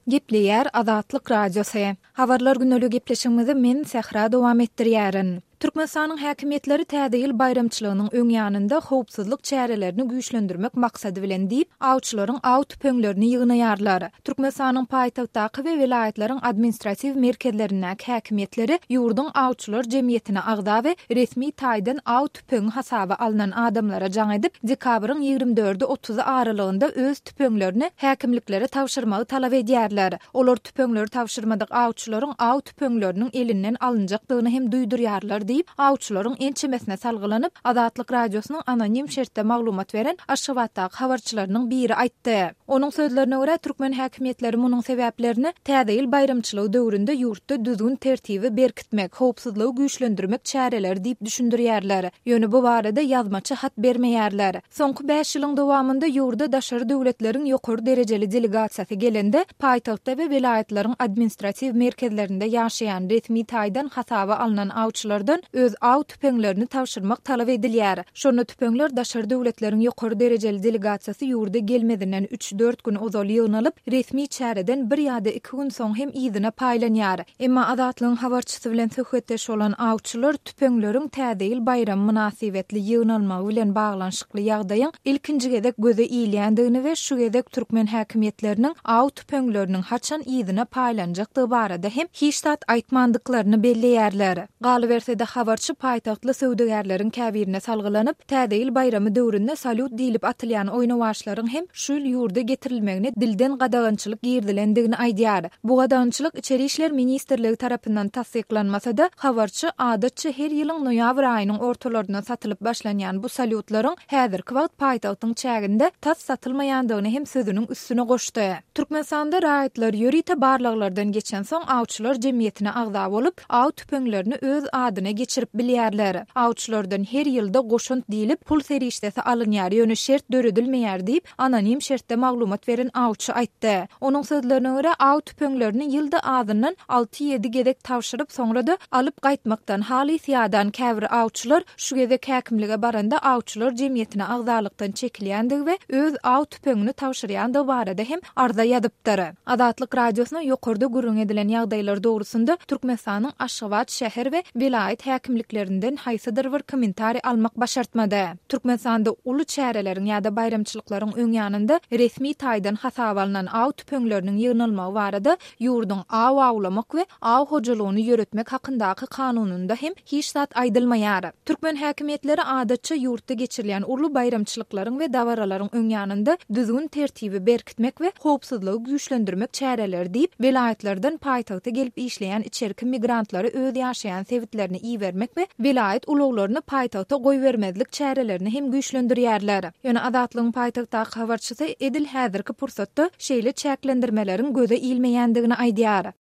Gepleýär Azatlyk Radiosy. Habarlar güneli gepleşigimizi men Sähra dowam etdirýärin. Türkmenistanyň häkimiýetleri Täze ýyl baýramçylygynyň öň ýanynda howpsuzlyk çärelerini güýçlendirmek maksady bilen diýip, awçylaryň aw tüpeňlerini ýygnaýarlar. Türkmenistanyň paýtagtdaky we welaýatlaryň administratiw merkezlerindäki häkimiýetleri ýurduň awçylar jemgyýetine agza we resmi taýdan aw tüpeňi hasaba alnan adamlara jaň edip, dekabryň ýigrimi dördi-otuzy aralygynda öz tüpeňlerini häkimliklere tabşyrmagy talap edýärler. Olar tüpeňleri tabşyrmadyk awçylaryň aw tüpeňleriniň elinden alynjakdygyny hem duýdurýarlar diýip, awçylaryň ençemesine salgylanyp, Azatlyk Radiosynyň anonim şertde maglumat beren Aşgabatdaky habarçylarynyň biri aýtdy. Onuň sözlerine görä, türkmen häkimiýetleri munuň sebäplerini Täze ýyl baýramçylygy döwründe ýurtda düzgün-tertibi berkitmek, howpsuzlygy güýçlendirmek çäreleri diýip düşündirýärler. Ýöne bu barada ýazmaça hat bermeýärler. Soňky bäş ýylyň dowamynda ýurda daşary döwletleriň ýokary derejeli delegasiýasy gelende, paýtagtda we welaýatlaryň administratiw merkezlerinde ýaşaýan resmi taýdan hasaba alnan awçylardan öz aw tüpeňlerini tabşyrmak talap edilýär. Şonda tüpeňler daşary döwletleriň ýokary derejeli delegasiýasy ýurda gelmezinden üç-dört gün ozal ýygnalyp, resmi çäreden bir ýa-da iki gün soň hem yzyna paýlanýar. Emma Azatlygyň habarçysy bilen söhbetdeş bolan awçylar tüpeňleriň Täze ýyl baýramy mynasybetli ýygnalmagy bilen baglanyşykly ýagdaýyň ilkinji gezek göze ilýändigini we şu gezek türkmen häkimiýetleriniň aw tüpeňleriniň haçan yzyna paýlanjakdygy barada hem hiç zat aýtmandyklaryny belleýärler. Galyberse-de, habarçy paýtagtly söwdagärleriň käbirine salgylanyp, Täze ýyl baýramy döwründe salýut diýlip atylýan oýnawaçlaryň hem şu ýyl ýurda getirilmegine dilden gadagançylyk girizilendigini aýdýar. Bu gadagançylyk Içeri işler ministrligi tarapyndan tassyklanmasa-da, habarçy, adatça her ýylyň noýabr aýynyň ortalarynda satylyp başlanýan bu salýutlaryň häzirki wagt paýtagtyň çäginde tas satylmaýandygyny hem sözüniň üstüne goşdy. Türkmenistanda raýatlar ýörite barlaglardan geçensoň awçylar jemgyýetine agza bolup, aw tüpeňlerini öz adyna geçirip bilýärler. Awçylardan her ýylda goşant diýlip, pul serişdesi alynýar, ýöne şert döredilmeýär diýip, anonim şertde maglumat beren awçy aýtdy. Onuň sözlerine görä, aw tüpeňlerini ýylda azyndan alty-ýedi gezek tabşyryp, soňra-da alyp gaýtmakdan halys ýadan käbir awçylar şu gezek häkimlige baranda awçylar jemgyýetine agzalykdan çekilýändigi we öz aw tüpeňini tabşyrýandygy barada hem arza ýazypdyr. Azatlyk Radiosyna ýokarda gürrüň edilen ýagdaýlar dogrusynda Türkmenistanyň Aşgabat şäher we welaýat häkimliklerinden haýsydyr bir kommentariý almak başartmady. Türkmenistanda uly çäreleriň ýa-da baýramçylyklaryň öň ýanynda resmi taýdan hasaba alnan aw tüpeňleriniň ýygnalmagy barada ýurduň Aw awlamak we aw hojalygyny ýöretmek hakyndaky kanunynda hem hiç zat aýdylmaýar. Türkmen häkimiýetleri adatça ýurtda geçirilýän uly baýramçylyklaryň we dabaralaryň öň ýanynda düzgün-tertibi berkitmek we howpsuzlygy güýçlendirmek çäreleri diýip, welaýatlardan paýtagta gelip işleýän içerki migrantlary öz ýaşaýan sebitlerine ibermek we welaýat ulaglaryny paýtagta goýbermezlik çärelerini hem güýçlendirýärler. Ýöne Azatlygyň paýtagtdaky habarçysy edil häzirki pursatda şeýle çäklendirmeleriň göze ilmeýändigini aýdýar.